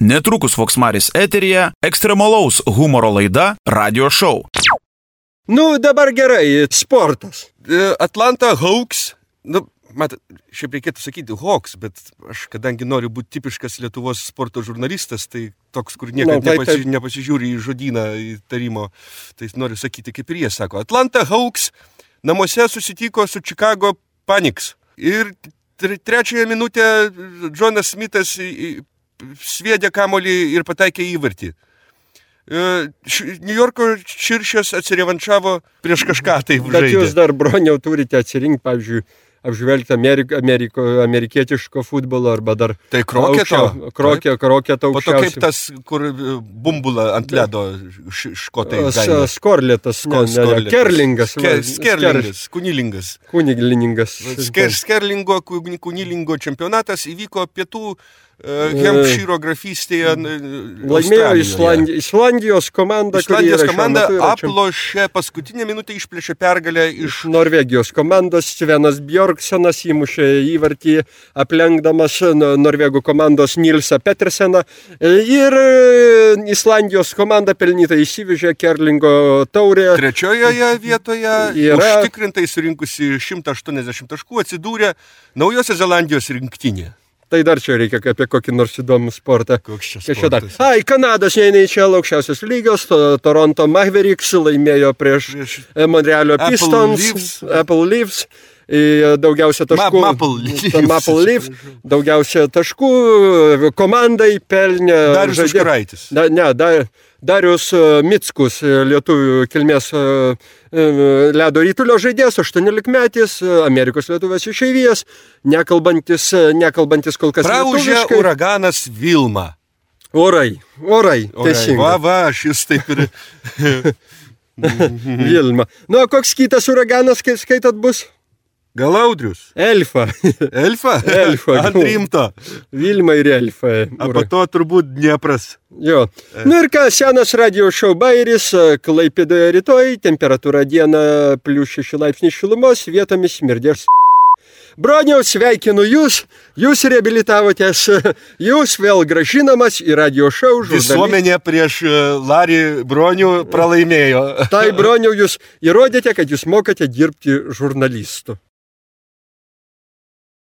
Netrukus Voksmaris eteryje ekstremalaus humoro laida Radio Show. Nu, dabar gerai, sportas. Atlanta Hawks, matot, šiaip reikėtų sakyti Hawks, bet aš, kadangi noriu būti tipiškas Lietuvos sporto žurnalistas, tai toks, kur niekada nepasižiūri į žodyną, į tarimo, tai noriu sakyti, kaip ir jie sako. Atlanta Hawks namuose susitiko su Chicago Panics. Ir trečiąją minutę Jonas Smithas sviedė kamuolį ir pataikė įvartį. New Yorko Širšės atsirevanšavo prieš kažką tai žaidė. Bet jūs dar, broniau, turite atsirinkti, pavyzdžiui, apžvelgti amerikietiško futbolo arba dar... Tai kroketo? Kroketo aukščiausiai. Po to kaip tas, kur bumbula ant ledo škotai gaina. Skorlėtas. Kerlingas. Kunilingas. Skerlingo, kunilingo čempionatas įvyko pietų Hempšyro grafystėje laimėjo Islandijos komanda. Islandijos komanda aplošė paskutinę minutę, išplėšė pergalę iš Norvegijos komandos. Svenas Bjorksenas įmušė įvartį, aplenkdamas Norvegų komandos Nilsą Peterseną. Ir Islandijos komanda pelnytai įsivežė Kerlingo taurę. Trečiojoje vietoje užtikrintai surinkusi 180 taškų atsidūrė Naujosios Zelandijos rinktinė. Tai dar čia reikia apie kokį nors įdomų sportą. Koks čia sportas? Kanados NHL aukščiausios lygos, Toronto Mavericks laimėjo prieš Montrealio Pistons, Apple Leafs, daugiausia taškų. Maple Leafs, daugiausia taškų komandai pelnė. Darius Užkuraitis. Darius Mickus, lietuvių kilmės ledo rytulio žaidėjas, 18-metis, Amerikos lietuvės išeivijas, nekalbantis kol kas Praūžė lietuviškai. uraganas Vilma. Orai, teisingai. Va, šis taip ir... Vilma. Nu, koks kitas uraganas, skaitat, bus? Gal Audrius? Elfa. Elfa? Ant rimto. Vilma ir Elfa. A po to turbūt Dniepras. Jo. Nu ir ką, senas Radio Show bairis, Klaipėdoje rytoj, temperatūra dieną +6 laipsniai šilumos, vietomis smirdės. Broniau, sveikinu jūs reabilitavotės, jūs vėl grąžinamas į Radio Show. Visuomenė prieš Larį Bronių pralaimėjo. Tai, Broniau, jūs įrodėte, kad jūs mokate dirbti žurnalistu.